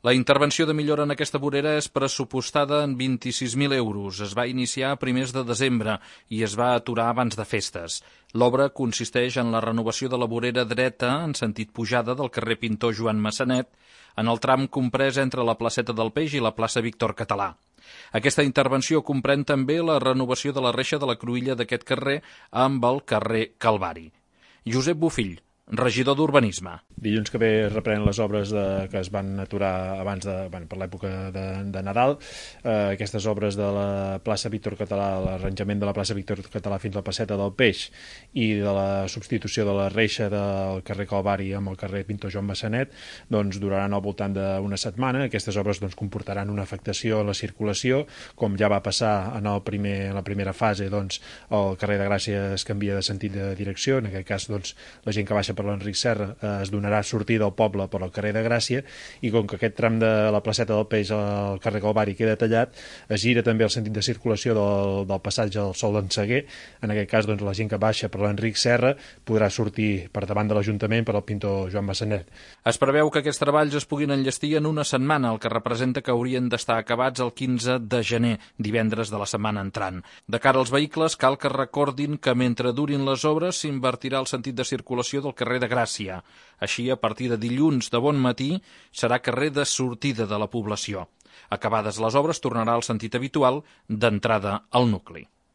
La intervenció de millora en aquesta vorera és pressupostada en 26.000 euros. Es va iniciar a primers de desembre i es va aturar abans de festes. L'obra consisteix en la renovació de la vorera dreta en sentit pujada del carrer Pintor Joan Massanet, en el tram comprès entre la placeta del Peix i la plaça Víctor Català. Aquesta intervenció comprèn també la renovació de la reixa de la cruïlla d'aquest carrer amb el carrer Calvari. Josep Bofill, regidor d'Urbanisme. Dilluns que ve reprenen les obres que es van aturar abans per l'època de Nadal. Aquestes obres de la plaça Víctor Català, l'arranjament de la plaça Víctor Català fins a la placeta del Peix i de la substitució de la reixa del carrer Calvari amb el carrer Pintor Joan Massanet, doncs duraran al voltant d'una setmana. Aquestes obres comportaran una afectació a la circulació, com ja va passar en la primera fase, doncs el carrer de Gràcia es canvia de sentit de direcció. En aquest cas, doncs, la gent que baixa per l'Enric Serra es donarà sortida al poble per al carrer de Gràcia, i com que aquest tram de la placeta del Peix al carrer Calvari queda tallat, es gira també el sentit de circulació del passatge del Sol d'en Seguer. En aquest cas, doncs, la gent que baixa per l'Enric Serra podrà sortir per davant de l'Ajuntament per al Pintor Joan Massanet. Es preveu que aquests treballs es puguin enllestir en una setmana, el que representa que haurien d'estar acabats el 15 de gener, divendres de la setmana entrant. De cara als vehicles, cal que recordin que mentre durin les obres s'invertirà el sentit de circulació del carrer de Gràcia. Així, a partir de dilluns de bon matí, serà carrer de sortida de la població. Acabades les obres, tornarà al sentit habitual d'entrada al nucli.